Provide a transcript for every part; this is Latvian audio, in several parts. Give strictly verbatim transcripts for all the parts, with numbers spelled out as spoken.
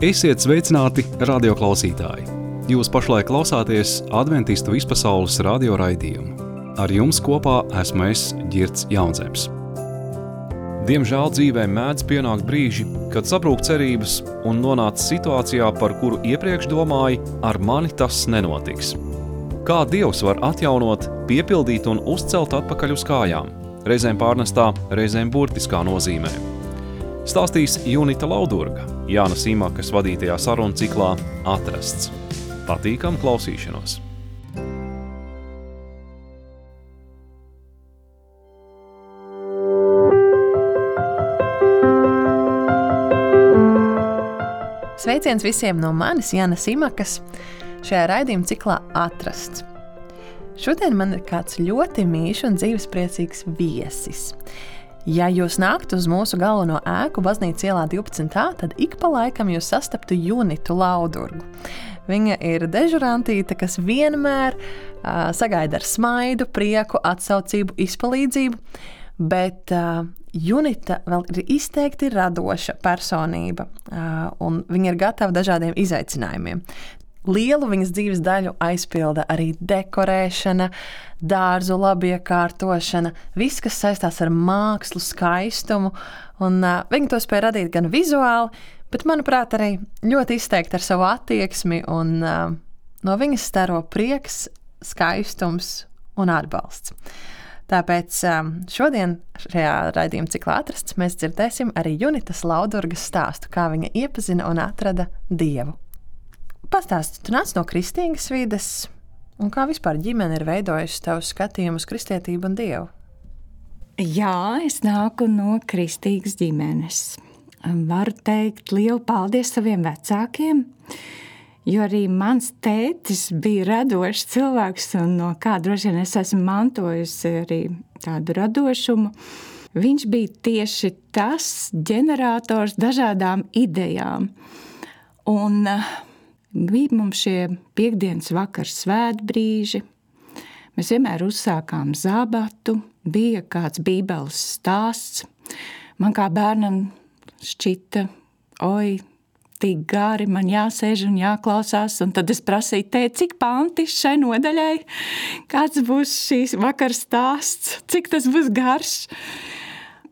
Esiet sveicināti, radioklausītāji! Jūs pašlaik klausāties Adventistu vispasaules radio raidījumu. Ar jums kopā esmu es, Ģirds Jaunzems. Diemžēl dzīvē mēdz pienākt brīži, kad sabrūk cerības un nonāc situācijā, par kuru iepriekš domāji, ar mani tas nenotiks. Kā Dievs var atjaunot, piepildīt un uzcelt atpakaļ uz kājām, reizēm pārnestā, reizēm burtiskā nozīmē. Stāstīs Junita Laudurga, Jāna Simakas vadītajā sarunu ciklā Atrasts. Patīkam klausīšanos! Sveiciens visiem no manis, Jāna Simakas, šajā raidījuma ciklā Atrasts. Šodien man ir kāds ļoti mīļš un dzīvespriecīgs viesis. Ja jūs nāktu uz mūsu galveno ēku Baznīcas ielā divpadsmit A, tad ik pa laikam jūs sastaptu Junitu Laudurgu. Viņa ir dežurantīte, kas vienmēr uh, sagaida ar smaidu, prieku, atsaucību, izpalīdzību, bet uh, Junita vēl ir izteikti radoša personība, uh, un viņa ir gatava dažādiem izaicinājumiem. Lielu viņas dzīves daļu aizpilda arī dekorēšana, dārzu labiekārtošana, viss, kas saistās ar mākslu, skaistumu, un uh, viņa to spēja radīt gan vizuāli, bet, manuprāt, arī ļoti izteikti ar savu attieksmi, un uh, no viņas staro prieks, skaistums un atbalsts. Tāpēc um, šodien šajā raidījuma ciklā Atrasts mēs dzirdēsim arī Junitas Laudurgas stāstu, kā viņa iepazina un atrada Dievu. Pastāsti, tu nāc no kristīgas vides, un kā vispār ģimene ir veidojusi tavu skatījumu uz kristietību un Dievu? Jā, es nāku no kristīgas ģimenes. Varu teikt lielu paldies saviem vecākiem, jo arī mans tētis bija radošs cilvēks, un no kā droši vien es esmu mantojusi arī tādu radošumu. Viņš bija tieši tas ģenerators dažādām idejām. Un bija mums šie piektdienas vakars svētbrīži, mēs vienmēr uzsākām zabatu, bija kāds bībeles stāsts. Man kā bērnam šķita, oi, tik gari, man jāsēž un jāklausās, un tad es prasīju, tēt, cik panti šai nodaļai, kāds būs šīs vakars stāsts, cik tas būs garš.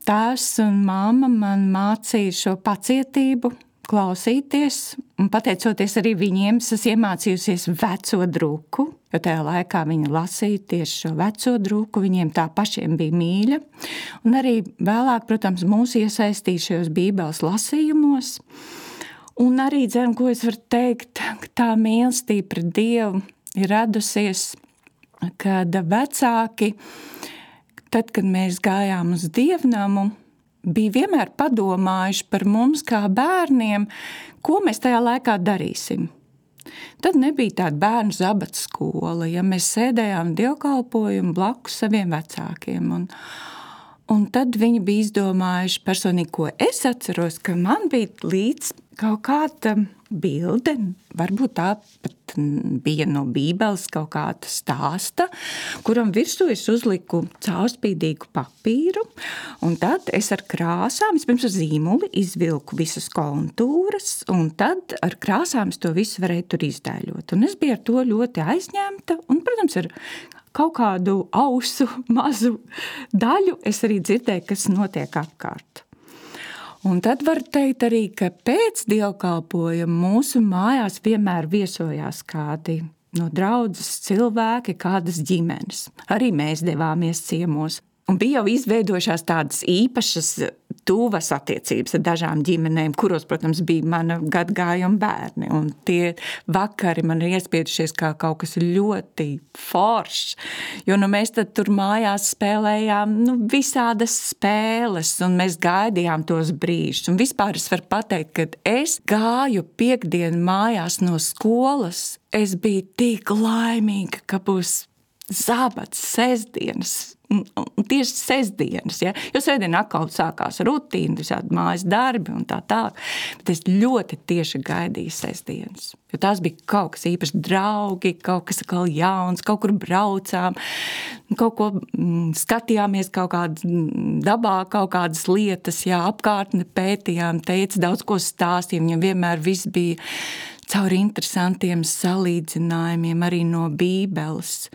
Tēvs un mamma man mācīja šo pacietību, klausīties, un pateicoties arī viņiem, es iemācījusies veco druku, jo tajā laikā viņi lasīja tieši šo veco druku, viņiem tā pašiem bija mīļa, un arī vēlāk, protams, mūs iesaistīja šajos bībeles lasījumos, un arī, dzen, ko es varu teikt, ka tā mīlestība pret Dievu ir radusies, kad vecāki, tad, kad mēs gājām uz dievnamu, bija vienmēr padomājuši par mums kā bērniem, ko mēs tajā laikā darīsim. Tad nebija tāda bērnu zabats skola, ja mēs sēdējām dievkalpojumu blakus saviem vecākiem. Un, un tad viņi bija izdomājuši personīgi, ko es atceros, ka man bija līdz kaut kāda bilde, varbūt tā pat bija no bībeles kaut kāda stāsta, kuram virsū es uzliku caurspīdīgu papīru, un tad es ar krāsām, vispirms ar zīmuli izvilku visas kontūras, un tad ar krāsām es to visu varēju tur izdēļot. Un es biju ar to ļoti aizņemta, un, protams, ar kaut kādu ausu mazu daļu es arī dzirdēju, kas notiek apkārt. Un tad var teikt arī, ka pēc dievkalpojuma mūsu mājās vienmēr viesojās kādi no draudzes cilvēki, kādas ģimenes. Arī mēs devāmies ciemos. Un bija jau izveidojušās tādas īpašas tuvas attiecības ar dažām ģimenēm, kuros, protams, bija mana gadgājuma bērni. Un tie vakari man ir iespiedušies kā kaut kas ļoti foršs. Jo nu, mēs tad tur mājās spēlējām nu, visādas spēles, un mēs gaidījām tos brīžus. Un vispār es varu pateikt, kad es gāju piekdienu mājās no skolas, es biju tik laimīga, ka būs zabats, sestdienas, un, un tieši sestdienas, ja? Jo sestdien atkal sākās rutīna, visādi mājas darbi un tā tālāk, bet es ļoti tieši gaidīju sestdienas, jo tās bija kaut kas īpaši draugi, kaut kas atkal jauns, kaut kur braucām, kaut ko mm, skatījāmies, kaut kādā dabā, kaut kādas lietas, jā, apkārtni pētījām, teica daudz ko stāstījām, viņam vienmēr viss bija caur interesantiem salīdzinājumiem, arī no Bībeles.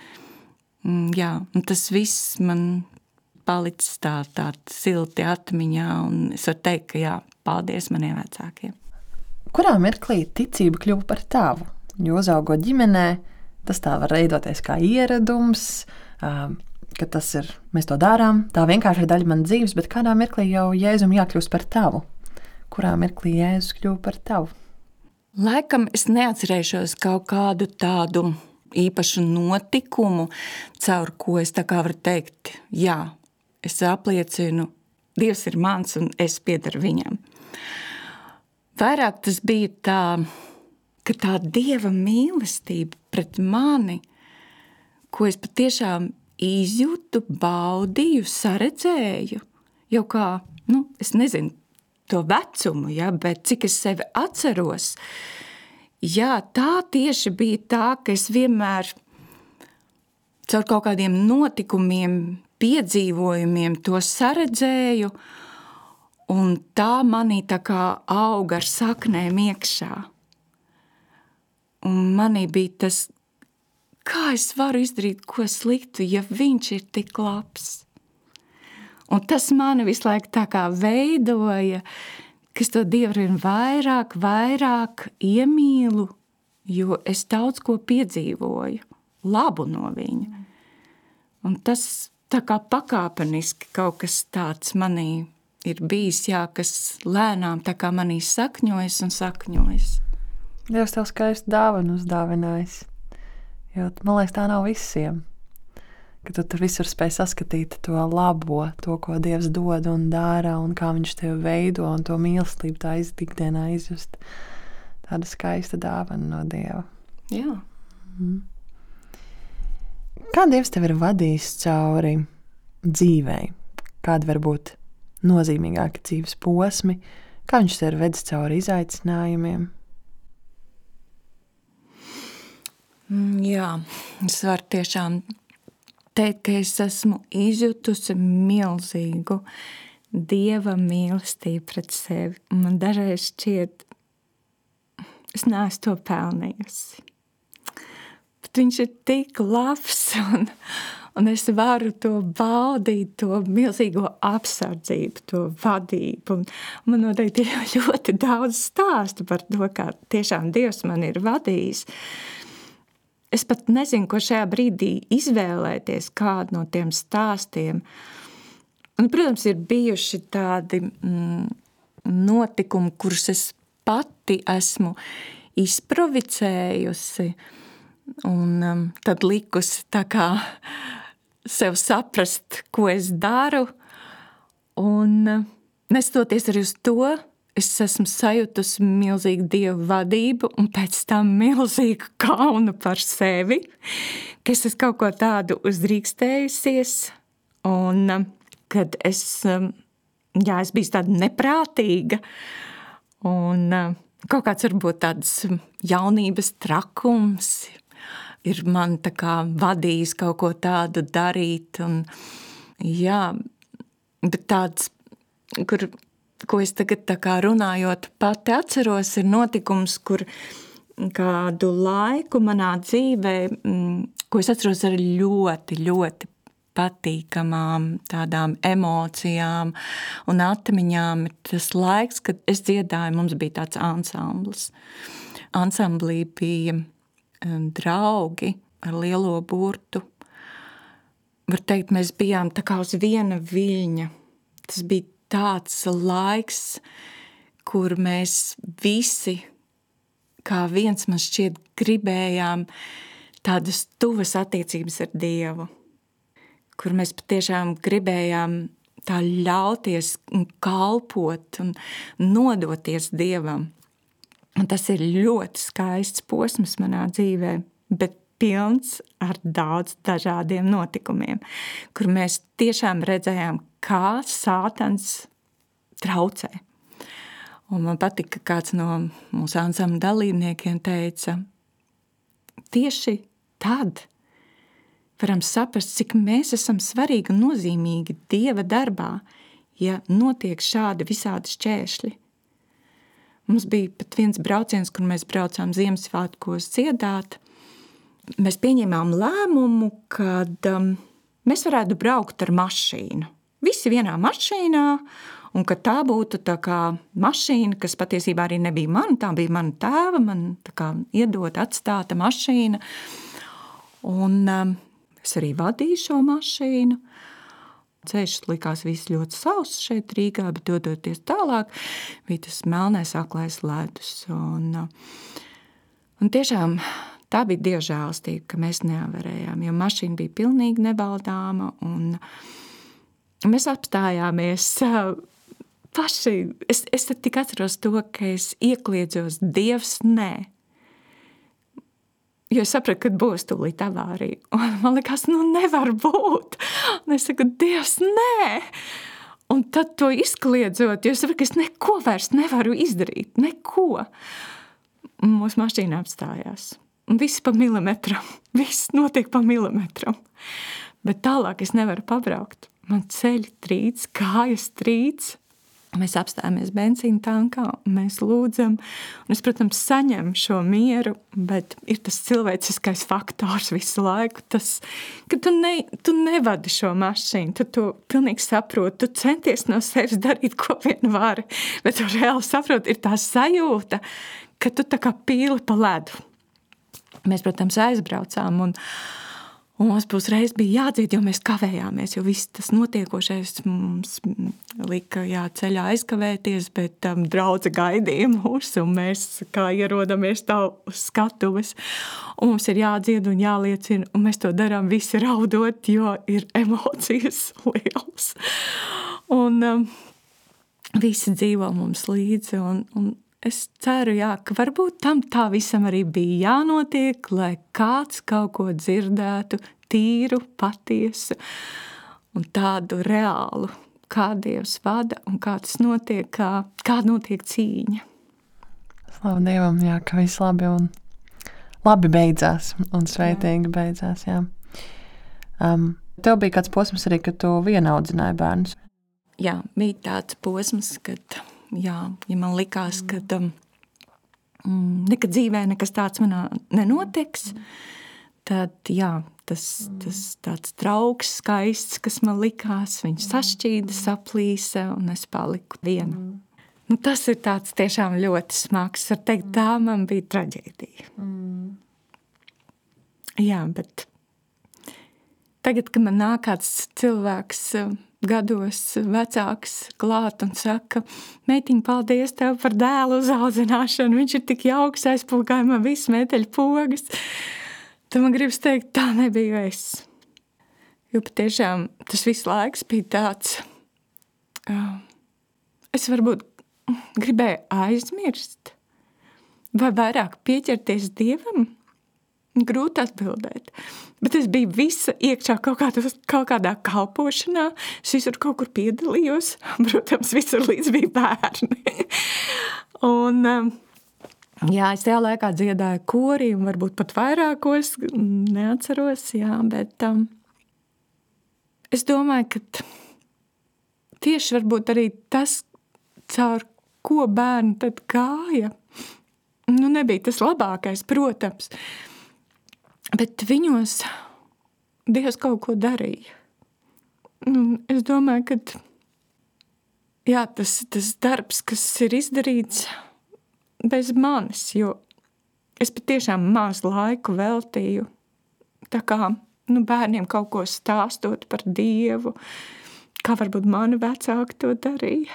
Mm, jā, un tas viss man palicis tā, tā silti atmiņā, un es varu teikt, ka jā, paldies maniem vecākiem. Kurā mirklī ticība kļuva par tavu? Jo uzaugot ģimenē, tas tā var veidoties kā ieradums, ka tas ir, mēs to darām, tā vienkārši ir daļa man dzīves, bet kādā mirklī jau Jēzum jākļūst par tavu? Kurā mirklī Jēzus kļuva par tavu? Laikam es neatcerēšos kaut kādu tādu īpašu notikumu, caur ko es tā kā varu teikt, jā, es apliecinu, Dievs ir mans un es piedaru viņam. Vairāk tas bija tā, ka tā Dieva mīlestība pret mani, ko es patiešām izjūtu, baudīju, saredzēju, jau kā, nu, es nezinu to vecumu, ja, bet cik es sevi atceros, jā, tā tieši bija tā, ka es vienmēr caur kaut kādiem notikumiem, piedzīvojumiem to saredzēju, un tā manī tā kā auga ar saknēm iekšā. Un manī bija tas, kā es varu izdarīt ko sliktu, ja viņš ir tik labs. Un tas mani visu laiku tā kā veidoja, ka es to Dievu vien vairāk, vairāk iemīlu, jo es daudz ko piedzīvoju, labu no viņa. Un tas tā kā pakāpeniski kaut kas tāds manī ir bijis, jā, kas lēnām tā kā manī sakņojas un sakņojas. Dievs tev skaistu dāvanu uzdāvinājis, jo, man liekas, tā nav visiem, ka tu tur visur spēj saskatīt to labo, to, ko Dievs dod un dara, un kā viņš tevi veido, un to mīlestību tā ikdienā izjust. Tāda skaista dāvana no Dieva. Jā. Mhm. Kā Dievs tev ir vadījis cauri dzīvei? Kādi var būt nozīmīgāki dzīves posmi? Kā viņš tev ir vedis cauri izaicinājumiem? Jā, es varu tiešām teikt, ka es esmu izjutusi milzīgu Dieva mīlestību pret sevi. Man dažreiz šķiet, es neesmu to pelnījusi. Bet viņš ir tik labs, un, un es varu to baudīt, to milzīgo apsardzību, to vadību. Un man noteikti ir ļoti daudz stāstu par to, kā tiešām Dievs man ir vadījis. Es pat nezinu, ko šajā brīdī izvēlēties, kādu no tiem stāstiem. Un, protams, ir bijuši tādi mm, notikumi, kurus es pati esmu izprovicējusi, un um, tad likusi tā kā sev saprast, ko es daru, un uh, nestoties arī uz to, es esmu sajutusi milzīgu Dievu vadību un pēc tam milzīgu kaunu par sevi, ka es esmu kaut ko tādu uzdrīkstējusies, un um, kad es, um, jā, es biju tāda neprātīga, un um, kaut kāds varbūt tāds jaunības trakums ir man tā kā vadījis kaut ko tādu darīt, un jā, bet tāds, kur, ko es tagad tā kā runājot pati atceros, ir notikums, kur kādu laiku manā dzīvē, ko es atceros ar ļoti, ļoti patīkamām tādām emocijām un atmiņām, ir tas laiks, kad es dziedāju, mums bija tāds ansamblis. Ansamblī bija draugi ar lielo burtu. Var teikt, mēs bijām tā kā uz viena viļņa. Tas bija tāds laiks, kur mēs visi, kā viens man šķiet, gribējām tādas tuvas attiecības ar Dievu, kur mēs patiešām gribējām tā ļauties un kalpot un nodoties Dievam. Un tas ir ļoti skaists posms manā dzīvē, bet pilns ar daudz dažādiem notikumiem, kur mēs tiešām redzējām, kā sātans traucē. Un man patika, ka kāds no mūsu ansambļa dalībniekiem teica, tieši tad, varam saprast, cik mēs esam svarīgi un nozīmīgi Dieva darbā, ja notiek šādi visādi šķēršļi. Mums bija pat viens brauciens, kur mēs braucām Ziemassvētkos dziedāt. Mēs pieņēmām lēmumu, kad um, mēs varētu braukt ar mašīnu. Visi vienā mašīnā, un ka tā būtu tā kā mašīna, kas patiesībā arī nebija mana, tā bija mana tēva, man tā kā iedot atstāta mašīna. Un um, es arī vadīju šo mašīnu. Ceļš likās viss ļoti sauss šeit Rīgā, bet dodoties tālāk, bija tas melnais aklais ledus. Un, un tiešām tā bija Dieva žēlastība, ka mēs neavarējām, jo mašīna bija pilnīgi nebaldāma. Un mēs apstājāmies paši. Es, es tik atceros to, ka es iekliedzos Dievs nē. Jo es sapratu, ka būs tūlīt avārija. Un man likās, nu nevar būt. Un es saku, Dievs, nē! Un tad to izkliedzot, jo es sapratu, ka es neko vairs nevaru izdarīt. Neko. Un mūsu mašīna apstājās. Un viss pa milimetram. Viss notiek pa milimetram. Bet tālāk es nevaru pabraukt. Man ceļi trīc, kājas trīc. Mēs apstājāmies benzīna tankā, mēs lūdzam, un es, protams, saņemu šo mieru, bet ir tas cilvēciskais faktors visu laiku, tas, ka tu, ne, tu nevadi šo mašīnu, tu to pilnīgi saproti, tu centies no sevis darīt, ko vien vari, bet tu reāli saproti, ir tā sajūta, ka tu tā kā pīli pa ledu. Mēs, protams, aizbraucām, un Un mums būs reiz bija jādzied, jo mēs kavējāmies, jo viss tas notiekošais mums lika jā, ceļā aizkavēties, bet um, draudze gaidīja mūs, un mēs kā ierodamies tā uz skatuves. Un mums ir jādzied un jāliecina, un mēs to darām visi raudot, jo ir emocijas lielas. Un um, visi dzīvo mums līdzi, un, un es ceru, jā, ka varbūt tam tā visam arī bija jānotiek, lai kāds kaut ko dzirdētu, tīru, patiesu un tādu reālu, kā Dievs vada un kā tas notiek, kā, kā notiek cīņa. Slavu Dievam, jā, ka viss labi un labi beidzās un sveitīgi jā. beidzās, jā. Um, tev bija kāds posms arī, kad tu vienaudzināji bērnus? Jā, bija tāds posms, kad... Jā, ja man likās, ka um, nekad dzīvē nekas tāds manā nenotiks, tad jā, tas, tas tāds trauks skaists, kas man likās, viņš sašķīda, saplīsa un es paliku viena. Nu, tas ir tāds tiešām ļoti smags. Var teikt, tā man bija traģēdija. Jā, bet tagad, kad man nāk kāds cilvēks gados vecāks klāt un saka, meitiņ, paldies tev par dēlu uzaudzināšanu, viņš ir tik jauks, aizpulgāja man visu meteļu pogas. Tad man gribas teikt, tā nebija es. Jo patiešām tas viss laiks bija tāds, uh, es varbūt gribēju aizmirst vai vairāk pieķerties Dievam. Grūti atbildēt, bet es biju visa iekšā kaut, kādā, kaut kādā kalpošanā, es visur kaut kur piedalījos, protams, visur līdz bija bērni. Un, jā, es tajā laikā dziedāju korī, un varbūt pat vairākos, neatceros, jā, bet um, es domāju, ka tieši varbūt arī tas, caur ko bērni tad gāja, nu nebija tas labākais, protams, bet viņos Dievs kaut ko darīja. Es domāju, ka jā, tas, tas darbs, kas ir izdarīts bez manis, jo es patiešām maz laiku veltīju tā kā nu, bērniem kaut ko stāstot par Dievu, kā varbūt mani vecāki to darīja.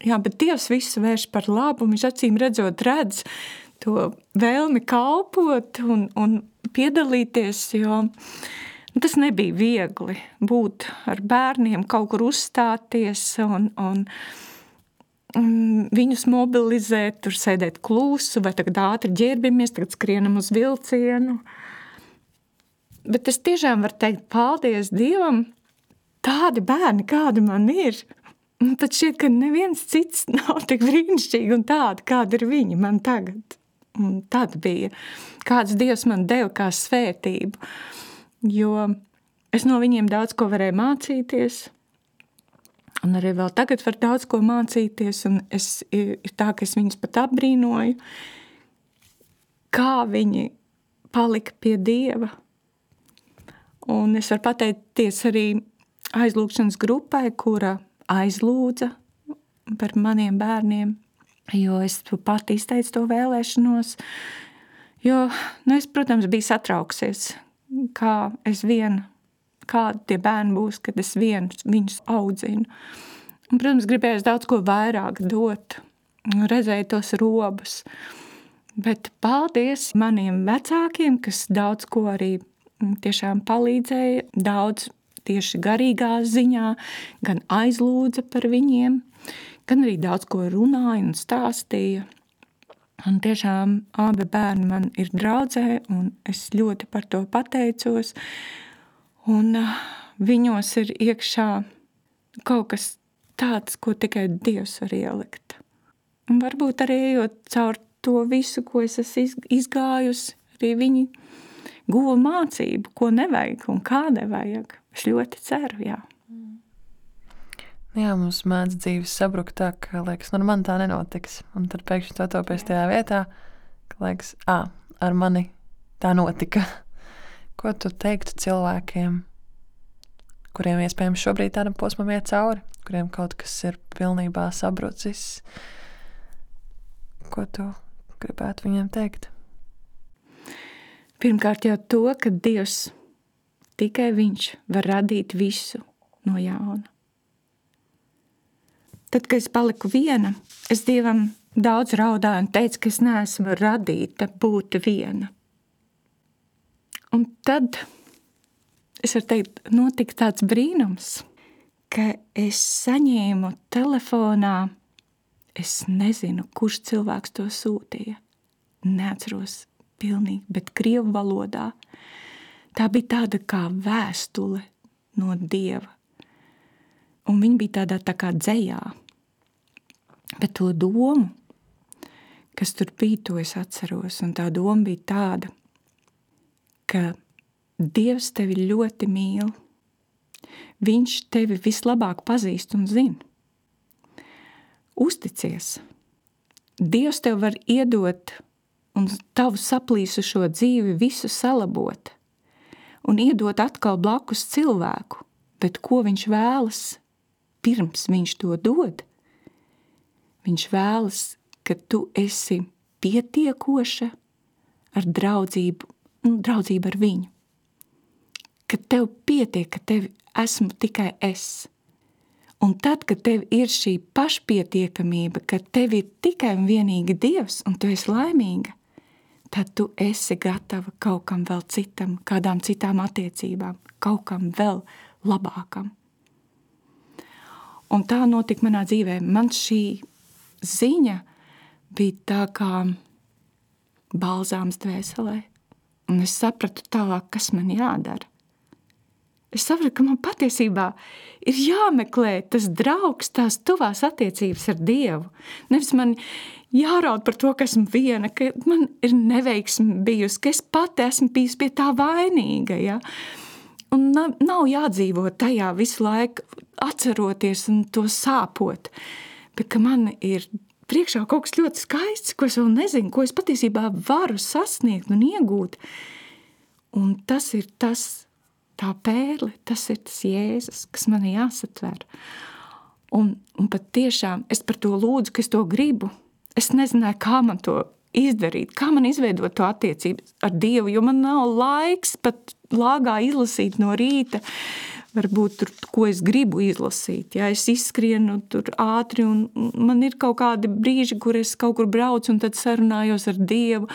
Jā, bet Dievs visu vērš par labu, viņš acīm redzot redz to vēlmi kalpot un, un piedalīties, jo tas nebija viegli būt ar bērniem, kaut kur uzstāties un, un, un viņus mobilizēt, tur sēdēt klusu, vai tagad ātri ģērbimies, tagad skrienam uz vilcienu. Bet es tiešām varu teikt, paldies Dievam, tādi bērni, kādi man ir. Pat šķiet, ka neviens cits nav tik brīnišķīgi un tādi, kādi ir viņi man tagad. un tad bija, kāds Dievs man deva kā svētību, jo es no viņiem daudz ko varēju mācīties, un arī vēl tagad var daudz ko mācīties, un es, ir tā, ka es viņus pat apbrīnoju, kā viņi palika pie Dieva. Un es varu pateikties arī aizlūgšanas grupai, kura aizlūdza par maniem bērniem, jo es pati izteicu to vēlēšanos, jo, nu, es, protams, biju satrauksies, kā es viena, kādi tie bērni būs, kad es vienu viņus audzinu. Un, protams, gribējos daudz ko vairāk dot, redzēju tos robus, bet paldies maniem vecākiem, kas daudz ko arī tiešām palīdzēja, daudz tieši garīgā ziņā, gan aizlūdza par viņiem, gan arī daudz ko runāja un stāstīja. Un tiešām abi bērni man ir draudzē, un es ļoti par to pateicos. Un uh, viņos ir iekšā kaut kas tāds, ko tikai Dievs var ielikt. Un varbūt arī ejot caur to visu, ko es esmu izgājusi, arī viņi guva mācību, ko nevajag un kā nevajag. Es ļoti ceru, jā. Jā, mums mēdz dzīves sabrukt tā, ka, liekas, nu, man tā nenotiks. Un tad pēkšņi to topies tajā vietā, ka, liekas, ā, ar mani tā notika. Ko tu teiktu cilvēkiem, kuriem iespējams šobrīd tādam posmam iet cauri, kuriem kaut kas ir pilnībā sabrucis? Ko tu gribētu viņiem teikt? Pirmkārt jau to, ka Dievs, tikai viņš var radīt visu no jauna. Tad, kad es paliku viena, es Dievam daudz raudāju un teicu, ka es neesmu radīta būt viena. Un tad, es varu teikt, notika tāds brīnums, ka es saņēmu telefonā, es nezinu, kurš cilvēks to sūtīja. Neatceros pilnīgi, bet krievu valodā. Tā bija tāda kā vēstule no Dieva. Un viņa bija tādā tā kā dzejā. Bet to domu, kas tur bija, to es atceros. Un tā doma bija tāda, ka Dievs tevi ļoti mīl. Viņš tevi vislabāk pazīst un zina. Uzticies. Dievs tev var iedot un tavu saplīsušo dzīvi visu salabot un iedot atkal blakus cilvēku, bet ko viņš vēlas, pirms viņš to dod? Viņš vēlas, ka tu esi pietiekoša ar draudzību, nu, draudzību ar viņu. Ka tev pietiek, ka tev esmu tikai es. Un tad, kad tev ir šī pašpietiekamība, ka tev ir tikai un vienīgi Dievs un tu esi laimīga, tad tu esi gatava kaut kam vēl citam, kādām citām attiecībām, kaut kam vēl labākam. Un tā notika manā dzīvē. Man šī ziņa bija tā kā balzāms dvēselē. Un es sapratu tālāk, kas man jādara. Es sapratu, ka man patiesībā ir jāmeklē tas draugs, tās tuvās attiecības ar Dievu. Nevis man jāraud par to, ka esmu viena, ka man ir neveiksme bijusi, ka es pati esmu bijusi pie tā vainīga. Ja? Un nav, nav jādzīvo tajā visu laiku, atceroties un to sāpot. Bet ka man ir priekšā kaut kas ļoti skaists, ko es vēl nezinu, ko es patiesībā varu sasniegt un iegūt. Un tas ir tas, tā pērle, tas ir tas Jēzus, kas man jāsatver. Un, un pat tiešām es par to lūdzu, ka es to gribu. Es nezināju, kā man to izdarīt, kā man izveidot to attiecību ar Dievu, jo man nav laiks pat lāgā izlasīt no rīta, varbūt tur, ko es gribu izlasīt. Ja es izskrienu tur ātri un man ir kaut kādi brīži, kur es kaut kur braucu un tad sarunājos ar Dievu.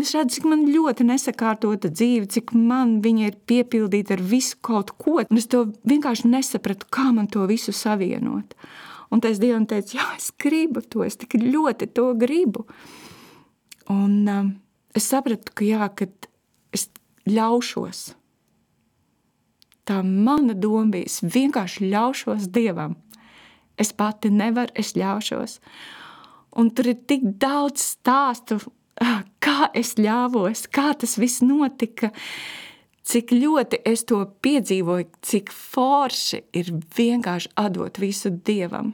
Es redzu, cik man ļoti nesakārtota dzīve, cik man viņa ir piepildīta ar visu kaut ko. Un es to vienkārši nesapratu, kā man to visu savienot. Un tad es Dievam teicu, jā, es gribu to, es tik ļoti to gribu. Un um, es sapratu, ka jā, kad es ļaušos. Tā mana doma bija, es vienkārši ļaušos Dievam. Es pati nevaru, es ļaušos. Un tur ir tik daudz stāstu, kā es ļāvos, kā tas viss notika, cik ļoti es to piedzīvoju, cik forši ir vienkārši atdot visu Dievam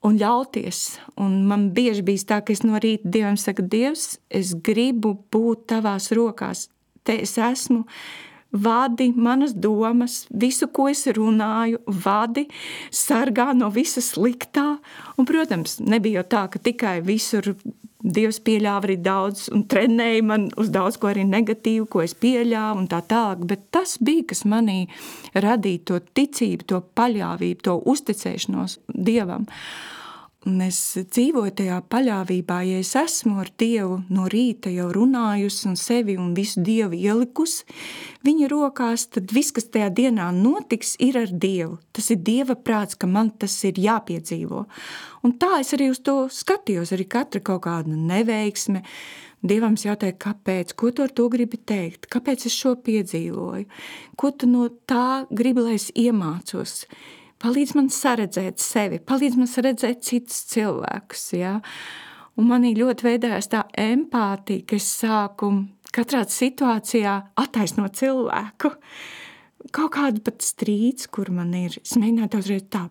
un ļauties. Un man bieži bijis tā, ka es no rīta Dievam saku, Dievs, es gribu būt tavās rokās. Te es esmu, vadi manas domas, visu, ko es runāju, vadi, sargā no visa sliktā. Un, protams, nebija jau tā, ka tikai visur Dievs pieļāva arī daudz un trenēja man uz daudz ko arī negatīvu, ko es pieļāvu un tā tālāk, bet tas bija, kas manī radīja to ticību, to paļāvību, to uzticēšanos Dievam. Un es dzīvoju tajā paļāvībā, ja es esmu ar Dievu no rīta jau runājusi un sevi un visu Dievu ielikusi viņa rokās, tad viss, kas tajā dienā notiks, ir ar Dievu. Tas ir Dieva prāts, ka man tas ir jāpiedzīvo. Un tā es arī uz to skatījos, arī katra kaut kāda neveiksme. Dievam es jautāju, kāpēc, ko tu ar to gribi teikt, kāpēc es šo piedzīvoju, ko tu no tā gribi, lai es iemācos. Palīdz man saredzēt sevi, palīdz man saredzēt citus cilvēkus. Ja? Un manī ļoti veidojās tā empātija, ka es sāku katrā situācijā attaisnot cilvēku. Kaut kādu pat strīds, kur man ir, es mēģināju uzreiz tā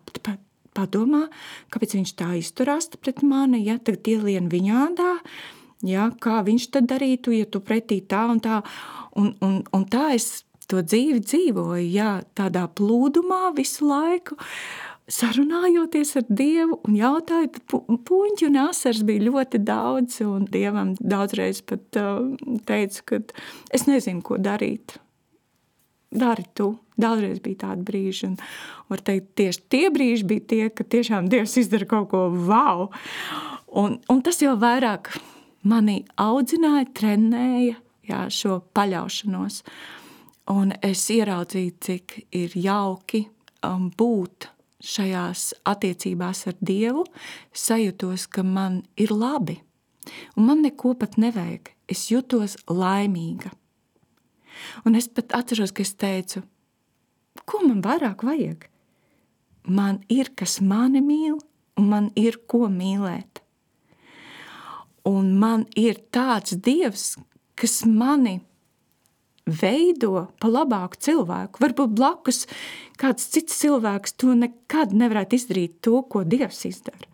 padomā, kāpēc viņš tā izturās pret mani, ja? Tagad ielien viņādā, ja? Kā viņš tad darītu, ja tu pretī tā un tā. Un, un, un tā es to dzīvi dzīvoju, jā, tādā plūdumā visu laiku, sarunājoties ar Dievu un jautāju, puņķi un asars bija ļoti daudz, un Dievam daudzreiz pat uh, teicu, ka es nezinu, ko darīt. Dari tu. Daudzreiz bija tādi brīži, un var teikt, tieši tie brīži bija tie, ka tiešām Dievs izdara kaut ko wow. Un, un tas jau vairāk mani audzināja, trenēja, jā, šo paļaušanos. Un es ieraudzīju, cik ir jauki um, būt šajās attiecībās ar Dievu, sajūtos, ka man ir labi. Un man neko pat nevajag. Es jutos laimīga. Un es pat atceros, ka es teicu, ko man vairāk vajag? Man ir, kas mani mīl, un man ir, ko mīlēt. Un man ir tāds Dievs, kas mani veido pa labāku cilvēku. Varbūt blakus kāds cits cilvēks to nekad nevarētu izdarīt to, ko Dievs izdara.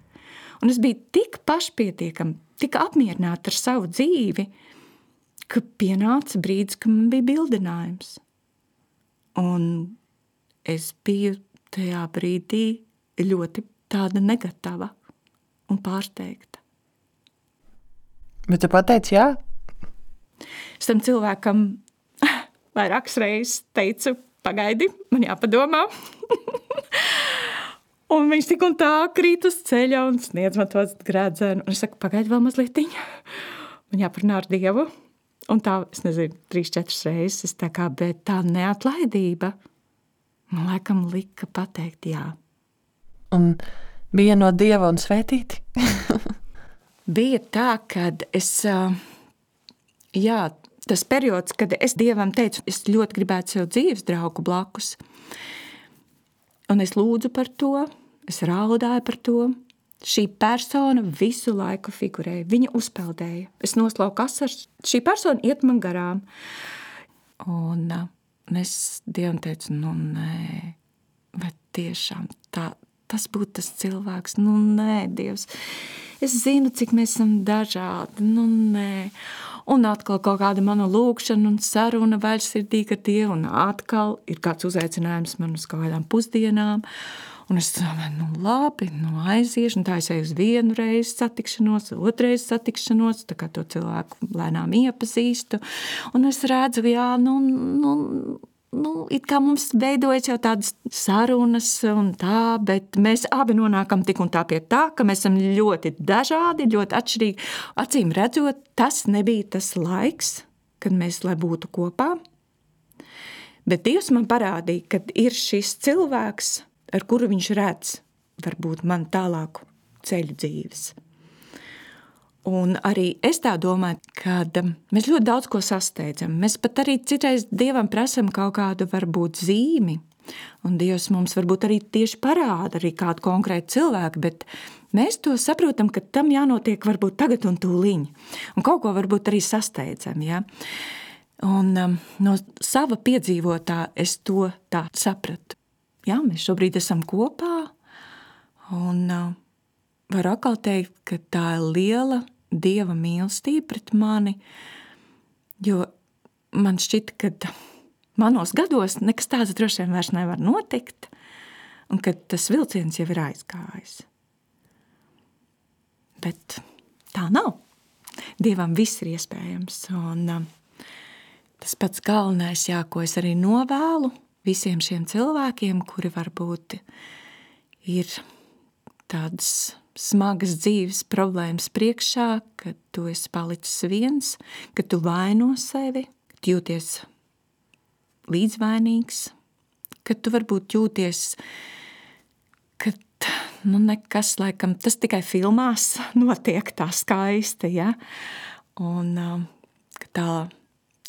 Un es biju tik pašpietiekama, tik apmierināta ar savu dzīvi, ka pienāca brīdis, ka man bija bildinājums. Un es biju tajā brīdī ļoti tāda negatava un pārsteigta. Bet tu pateici jā? Es tam cilvēkam vairākas reizes teicu, pagaidi, man jāpadomā. Un viņš tik un tā krīt uz ceļa un sniedz man tos grēdzenu. Un es saku, pagaidi vēl mazlietiņu. Man jāparunā ar Dievu. Un tā, es nezinu, trīs, četras reizes, es tā kā, bet tā neatlaidība man laikam lika pateikt jā. Un bija no Dieva un svētīti? Bija tā, kad es, jā, tas periods, kad es Dievam teicu, es ļoti gribētu sev dzīves draugu blakus. Un es lūdzu par to, es raudāju par to. Šī persona visu laiku figurēja, viņa uzpeldēja. Es noslauku asars, šī persona iet man garām. Un es Dievam teicu, nu nē, bet tiešām tā, tas būtu tas cilvēks, nu nē, Dievs. Es zinu, cik mēs esam dažādi, nu nē. Un atkal kaut kāda mana lūkšana un saruna vaļsirdīga ar Dievu, un atkal ir kāds uzaicinājums man uz kaut kādām pusdienām. Un es domāju, nu labi, nu aiziešu, un tā es eju uz vienu reizi satikšanos, otrais satikšanos, tā kā to cilvēku lēnām iepazīstu. Un es redzu, jā, nu, nu, nu it kā mums veidojas jau tādas sarunas un tā, bet mēs abi nonākam tik un tā pie tā, ka mēs esam ļoti dažādi, ļoti atšķirīgi. Acīm redzot, tas nebija tas laiks, kad mēs lai būtu kopā. Bet Dievs man parādīja, kad ir šis cilvēks, ar kuru viņš redz, varbūt man tālāku ceļu dzīves. Un arī es tā domāju, ka mēs ļoti daudz ko sasteidzam. Mēs pat arī citreiz Dievam prasam kaut kādu varbūt zīmi. Un Dievs mums varbūt arī tieši parāda arī kādu konkrētu cilvēku, bet mēs to saprotam, ka tam jānotiek varbūt tagad un tūliņ. Un kaut ko varbūt arī sasteidzam, ja? Un um, no sava piedzīvotā es to tā sapratu. Jā, mēs šobrīd esam kopā, un uh, varu atkal teikt, ka tā ir liela Dieva mīlestība pret mani, jo man šķita, ka manos gados nekas tāds droši vien vairs nevar notikt, un ka tas vilciens jau ir aizgājis. Bet tā nav. Dievam viss ir iespējams, un um, tas pats galvenais, jā, ko es arī novēlu visiem šiem cilvēkiem, kuri varbūt ir tādas smagas dzīves problēmas priekšā, kad tu esi palicis viens, kad tu vaino sevi, kad jūties līdzvainīgs, kad tu varbūt jūties, kad nu, nekas, laikam, tas tikai filmās notiek tā skaisti, ja? Un ka tā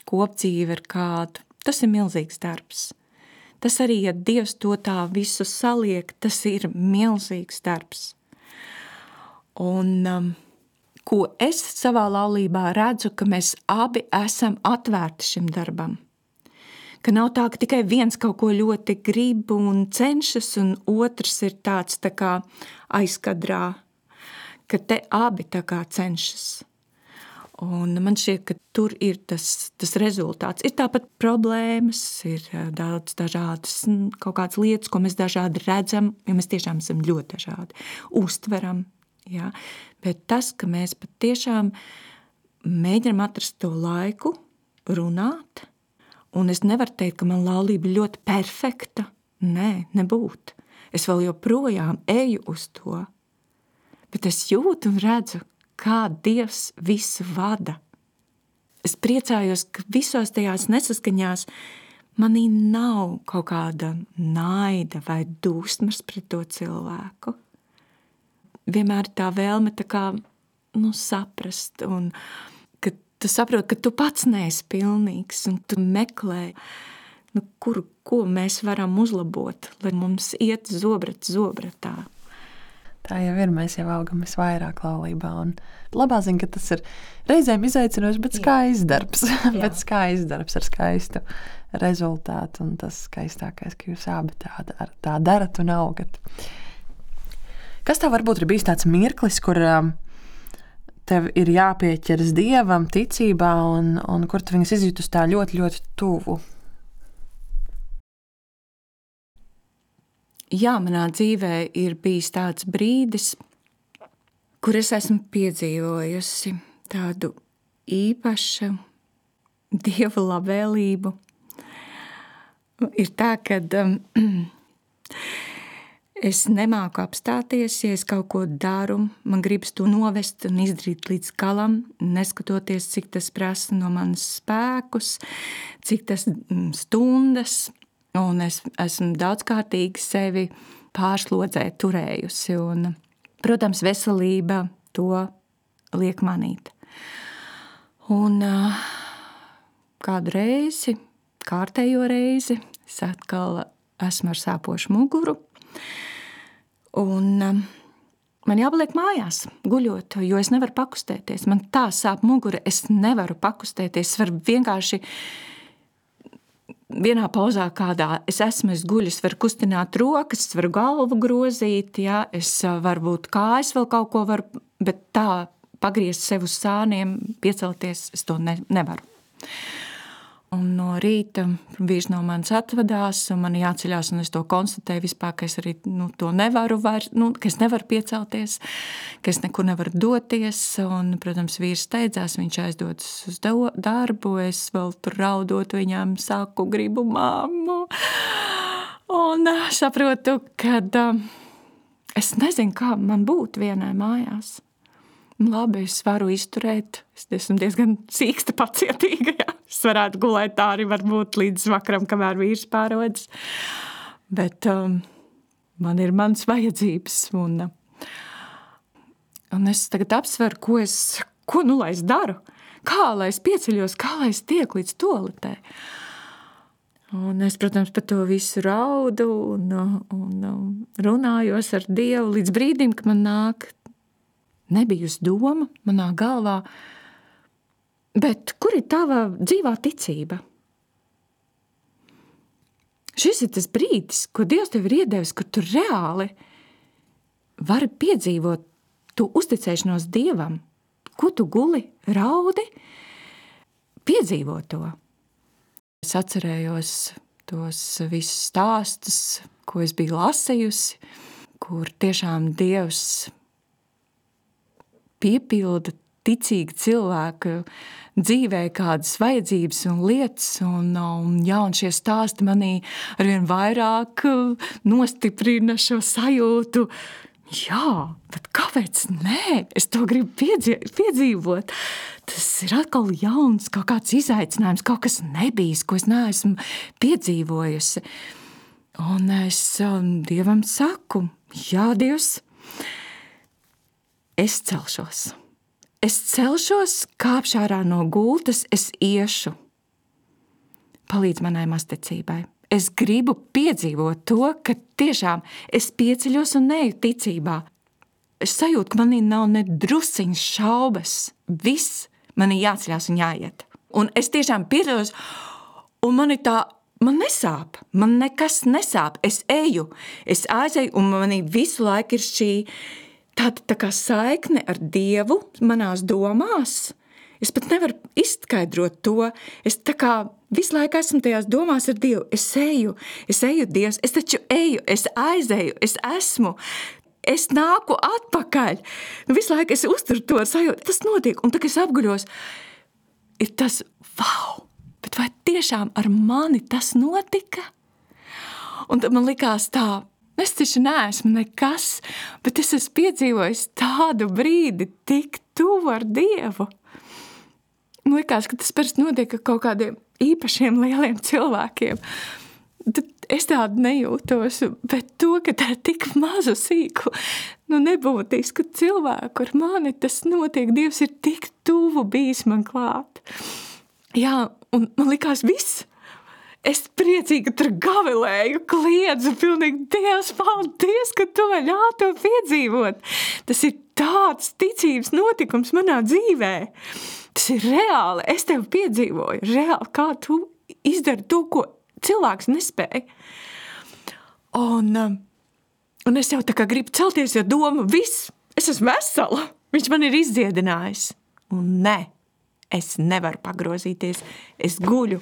kopdzīve ir kādu, tas ir milzīgs darbs. Tas arī, ja Dievs to tā visu saliek, tas ir milzīgs darbs. Un um, ko es savā laulībā redzu, ka mēs abi esam atvērti šim darbam. Ka nav tā, ka tikai viens kaut ko ļoti grib un cenšas, un otrs ir tāds tā kā aizkadrā, ka te abi tā kā cenšas. Un man šķiet, ka tur ir tas, tas rezultāts. Ir tāpat problēmas, ir daudz dažādas kaut kādas lietas, ko mēs dažādi redzam, jo mēs tiešām esam ļoti dažādi, uztveram. Jā, bet tas, ka mēs patiešām mēģinām atrast to laiku, runāt, un es nevaru teikt, ka man laulība ļoti perfekta. Nē, nebūt. Es vēl joprojām eju uz to, bet es jūtu un redzu, kā Dievs visu vada. Es priecājos, ka visos tajās nesaskaņās manī nav kaut kāda naida vai dusmas pret to cilvēku. Vienmēr tā vēlme tā kā, nu, saprast, un ka tu saproti, ka tu pats neesi pilnīgs, un tu meklē, nu, kur, ko mēs varam uzlabot, lai mums iet zobrat zobratā. Tā jau ir, mēs jau augam visvairāk laulībā, un labā ziņa, ka tas ir reizēm izaicinoši, bet skaists darbs, bet skaists darbs ar skaistu rezultātu, un tas skaistākais, ka jūs abi tā, tā darat un augat. Kas tev varbūt ir bijis tāds mirklis, kur tev ir jāpieķeras Dievam ticībā, un, un kur tu viņas izjūtus tā ļoti, ļoti tuvu? Jā, manā dzīvē ir bijis tāds brīdis, kur es esmu piedzīvojusi tādu īpašu Dieva labvēlību. Ir tā, ka um, es nemāku apstāties, ja es kaut ko daru, man gribas to novest un izdarīt līdz galam, neskatoties, cik tas prasa no manas spēkus, cik tas stundas, un es esmu daudzkārtīgi sevi pārslodzē turējusi, un, protams, veselība to liek manīt. Un kādu reizi, kārtējo reizi, es atkal esmu ar sāpošu muguru, un man jāpaliek mājās, guļot, jo es nevaru pakustēties. Man tā sāp mugura, es nevaru pakustēties. Es varu vienkārši vienā pauzā kādā es esmu, es guļu, es varu kustināt rokas, es varu galvu grozīt, ja, es varbūt kājas vēl kaut ko varu, bet tā pagriezt sev uz sāniem, piecelties, es to ne, nevaru. Un no rīta vīrs no manis atvadās, un man jāceļās, un es to konstatēju vispār, ka es arī nu, to nevaru vairs, nu, ka es nevaru piecelties, ka es nekur nevaru doties, un, protams, vīrs steidzās, viņš aizdodas uz darbu, es vēl tur raudot viņām saku, gribu mammu, un saprotu, kad es nezinu, kā man būt vienai mājās. Labi, es varu izturēt, es esmu diezgan sīksta pacietīga, jā. Es varētu gulēt tā arī varbūt līdz vakaram, kamēr vīrs pārodas. Bet um, man ir mans vajadzības, un, un es tagad apsveru, ko es, ko nu lai es daru, kā lai es pieceļos, kā lai es tieku līdz toaletē. Un es, protams, par to visu raudu un, un, un runājos ar Dievu līdz brīdim, kad man nāk nebijusi doma manā galvā, bet kur ir tava dzīvā ticība? Šis ir tas brīdis, ko Dievs tev ir iedevis, kur tu reāli vari piedzīvot tu uzticēšanos Dievam. Ko tu guli, raudi, piedzīvo to. Es atcerējos tos visus stāstus, ko es biju lasījusi, kur tiešām Dievs piepilda ticīgi cilvēku dzīvē kādas vajadzības un lietas, un, un, jā, un šie stāsti manī arvien vairāk nostiprina šo sajūtu. Jā, bet kāpēc nē? Es to gribu piedzīvot. Tas ir atkal jauns, kaut kāds izaicinājums, kaut kas nebijis, ko es neesmu piedzīvojusi. Un es um, Dievam saku, jā, Dievs, es celšos. Es celšos, kāpšu ārā no gultas, es iešu. Palīdz manai mazticībai. Es gribu piedzīvot to, ka tiešām es pieceļos un neju ticībā. Es sajūtu, ka manī nav ne drusciņas šaubas. Viss man ir jāceļās un jāiet. Un es tiešām pieceļos, un man ir tā, man nesāp, man nekas nesāp. Es eju, es aizēju, un manī visu laiku ir šī tāda tā kā saikne ar Dievu manās domās. Es pat nevaru izskaidrot to. Es tā kā visu laiku esmu tajās domās ar Dievu. Es eju, es eju, Dievs, es taču eju, es aizēju, es esmu, es nāku atpakaļ. Visu laiku es uzturu to sajūtu, tas notiek. Un tā, kad es apguļos, ir tas, wow, bet vai tiešām ar mani tas notika? Un tad man likās tā, es taču neesmu nekas, bet es esmu piedzīvojis tādu brīdi tik tuvu ar Dievu. Man likās, ka tas parasti notiek ar kaut kādiem īpašiem lieliem cilvēkiem. Tad es tādu nejūtos, bet to, ka tā ir tik mazu sīku, nu nebūtisku cilvēku ar mani, tas notiek. Dievs ir tik tuvu bijis man klāt. Jā, un man likās viss. Es priecīgi tur gavilēju, kliedzu pilnīgi, Dievs, paldies, ka tu man ļauj to piedzīvot. Tas ir tāds ticības notikums manā dzīvē. Tas ir reāli, es tev piedzīvoju, reāli, kā tu izdari to, ko cilvēks nespēja. Un, un es jau tā kā gribu celties, jo doma, viss, es esmu vesela, viņš man ir izdziedinājis. Un ne, es nevaru pagrozīties, es guļu.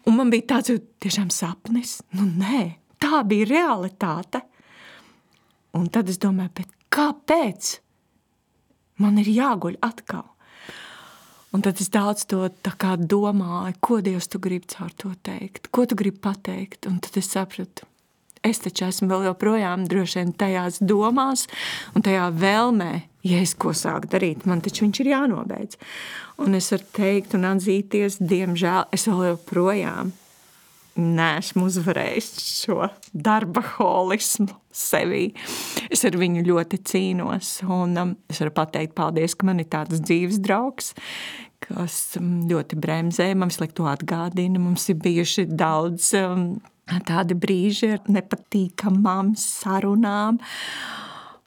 Un man bija tāds tiešām sapnis, nu nē, tā bija realitāte. Un tad es domāju, bet kāpēc man ir jāguļ atkal? Un tad es daudz to tā kā domāju, ko Dievs tu gribi caur to teikt, ko tu gribi pateikt. Un tad es sapratu, es taču esmu vēl joprojām droši vien tajās domās un tajā vēlmē, ja es ko sāku darīt, man taču viņš ir jānobeidz. Un es varu teikt un atzīties, diemžēl, es vēl joprojām neesmu uzvarējis šo darba holismu sevī. Es ar viņu ļoti cīnos, un um, es varu pateikt paldies, ka man ir tāds dzīves draugs, kas um, ļoti bremzē, man visu laiku to atgādina. Mums ir bijuši daudz um, tādi brīži ar nepatīkamām sarunām,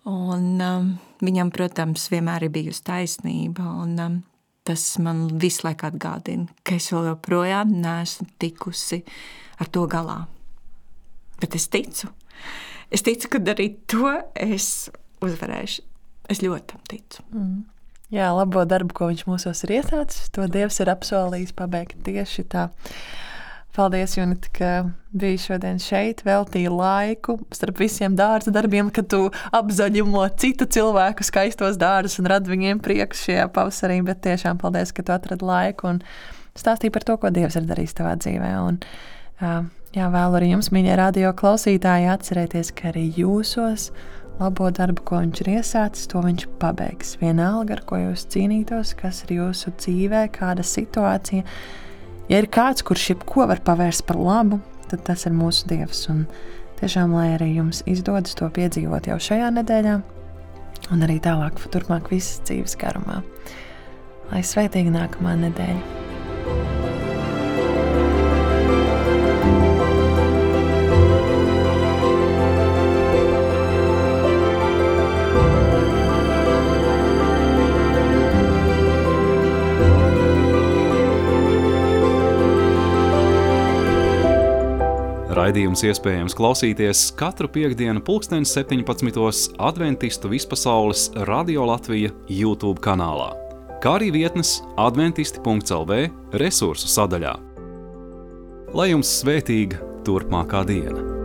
un um, viņam, protams, vienmēr ir bijusi taisnība, un um, tas man visu laiku atgādina, ka es vēl joprojām neesmu tikusi ar to galā. Bet es ticu. Es ticu, ka arī to es uzvarēšu. Es ļoti tam ticu. Mm. Jā, labo darbu, ko viņš mūsos ir iesācis, to Dievs ir apsolījis pabeigt tieši tā. Paldies, Junita, ka biji šodien šeit, veltīji laiku starp visiem dārza darbiem, kad tu apzaļumo citu cilvēku skaistos dārzus un rad viņiem prieku šajā pavasarī, bet tiešām paldies, ka tu atradi laiku un stāstīji par to, ko Dievs ir darījis tavā dzīvē. Un, jā, vēlu arī jums, mīļie radio klausītāji, atcerēties, ka arī jūsos labo darbu, ko viņš ir iesācis, to viņš pabeigs. Vienalga, ar ko jūs cīnītos, kas ir jūsu dzīvē, kāda situācija. Ja ir kāds, kurš jebko var pavērst par labu, tad tas ir mūsu Dievs. Un tiešām, lai arī jums izdodas to piedzīvot jau šajā nedēļā un arī tālāk, turpmāk visas dzīves garumā. Lai svētīga nākamā nedēļa. Raidījums iespējams klausīties katru piektdienu pulksteni septiņpadsmitos Adventistu Vispasaules Radio Latvija YouTube kanālā, kā arī vietnes adventisti punkts el vē resursu sadaļā. Lai jums svētīga turpmākā diena!